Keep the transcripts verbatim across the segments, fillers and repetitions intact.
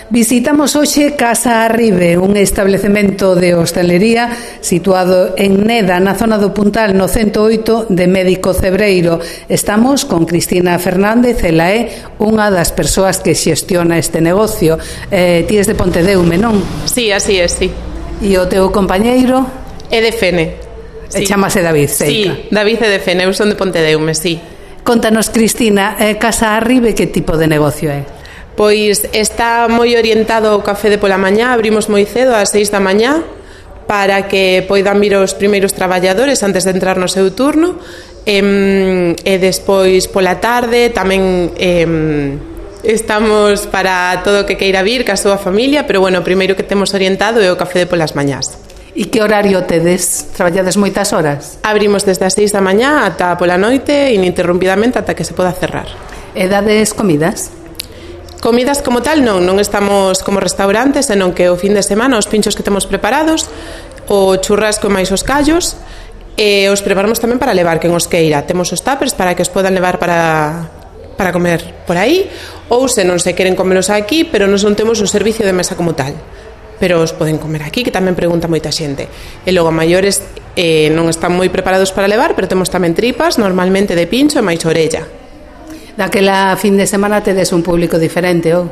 Visitamos hoxe Casa Arribe, un establecemento de hostalería situado en Neda, na zona do Puntal, no ciento oito de Médico Cebreiro. Estamos con Cristina Fernández, ela é unha das persoas que xestiona este negocio. Eh, ti es de Pontedeume, non? Sí, así é, sí. E o teu compañeiro? É de Fene. Sí. Chámase David, Seica. Sí, David é de Fene, eu son de Pontedeume, sí. Contanos, Cristina, eh, Casa Arribe, que tipo de negocio é? Pois está moi orientado ao café de pola mañá, abrimos moi cedo ás seis da mañá para que poidan vir os primeiros traballadores antes de entrar no seu turno, e, e despois pola tarde tamén eh, estamos para todo o que queira vir, ca súa familia, pero bueno, o primeiro que temos orientado é o café de polas mañás. E que horario tedes? Traballades moitas horas? Abrimos desde as seis da mañá ata pola noite, ininterrumpidamente ata que se poda cerrar. E dades comidas? Comidas como tal non, non estamos como restaurantes, senón que o fin de semana os pinchos que temos preparados, o churrasco e máis os callos, e os preparamos tamén para levar quen os queira. Temos os tuppers para que os podan levar para, para comer por aí, ou se non se queren comelos aquí, pero non son temos o servicio de mesa como tal, pero os poden comer aquí, que tamén pregunta moita xente. E logo a maiores eh, non están moi preparados para levar, pero temos tamén tripas, normalmente de pincho e máis orella. Daquela fin de semana tedes un público diferente, ou?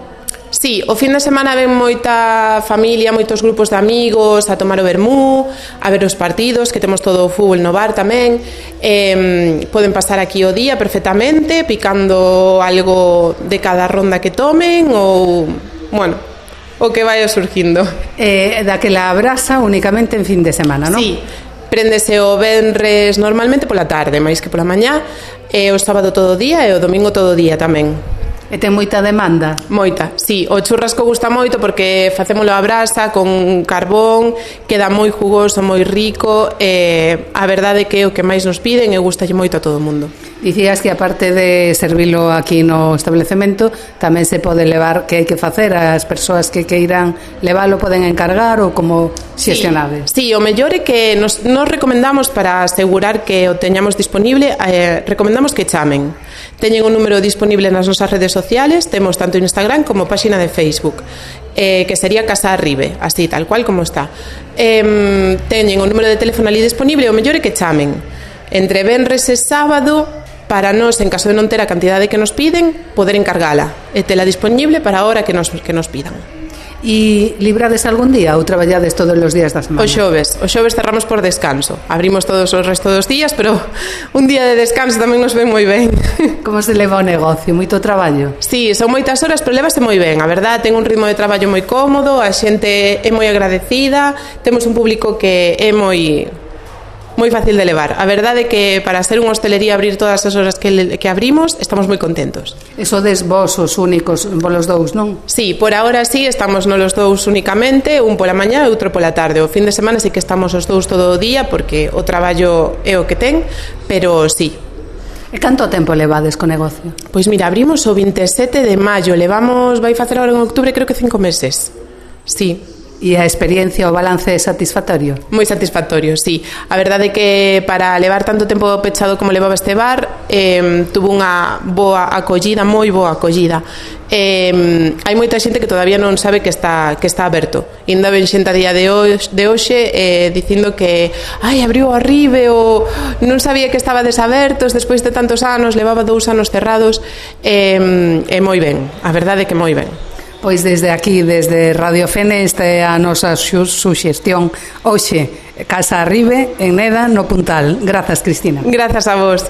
Sí, o fin de semana ven moita familia, moitos grupos de amigos a tomar o vermú, a ver os partidos, que temos todo o fútbol no bar tamén. Eh, poden pasar aquí o día perfectamente, picando algo de cada ronda que tomen, ou, bueno, o que vai surgindo. Eh, daquela brasa únicamente en fin de semana, non? Sí, préndese o venres normalmente pola tarde, máis que pola mañá, e o sábado todo o día e o domingo todo o día tamén. E ten moita demanda? Moita, sí. O churrasco gusta moito porque facémolo a brasa con carbón, queda moi jugoso, moi rico, e a verdade é que é o que máis nos piden e gustalle moito a todo o mundo. Dicías que aparte de servilo aquí no establecemento, tamén se pode levar, que hai que facer, as persoas que queiran leválo poden encargar ou como xestionades? Sí, sí, o mellor é que nos, nos recomendamos para asegurar que o teñamos disponible, eh, recomendamos que chamen. Teñen un número disponible nas nosas redes sociales, temos tanto Instagram como páxina de Facebook, eh, que sería Casa Arribe, así, tal cual como está. Eh, teñen un número de teléfono ali disponible, o mellor é que chamen. Entre venres e sábado, para nós, en caso de non ter a cantidade que nos piden, poder encargala e tela disponible para a hora que nos, que nos pidan. E librades algún día ou traballades todos os días da semana? O xoves, o xoves cerramos por descanso. Abrimos todos os restos dos días, pero un día de descanso tamén nos ven moi ben. Como se leva o negocio? Moito traballo? Sí, son moitas horas, pero levase moi ben. A verdad, ten un ritmo de traballo moi cómodo, a xente é moi agradecida, temos un público que é moi moi fácil de levar. A verdade é que para ser unha hostelería abrir todas as horas que, que abrimos, estamos moi contentos. Eso des vos os únicos, vos dous, non? Sí, por ahora sí, estamos nos los dous únicamente, un pola mañá e outro pola tarde. O fin de semana sí que estamos os dous todo o día, porque o traballo é o que ten, pero sí. E canto tempo levades co negocio? Pois mira, abrimos o veintisiete de maio, levamos, vai facer agora en octubre, creo que cinco meses. Sí. E a experiencia, o balance é satisfactorio? Moi satisfactorio, sí. A verdade é que para levar tanto tempo pechado como levaba este bar, eh, tuvo unha boa acollida, moi boa acollida. Eh, hai moita xente que todavía non sabe que está que está aberto. Ainda ven xente a día de hoxe, de hoxe eh, dicindo que ai, abriu Arribe, ou non sabía que estaba desabertos despois de tantos anos, levaba dous anos cerrados. Eh, e moi ben, a verdade é que moi ben. Pois desde aquí, desde Radio Fene, esta é a nosa suxestión hoxe, Casa Arribe, en Neda, no Puntal. Grazas, Cristina. Grazas a vos.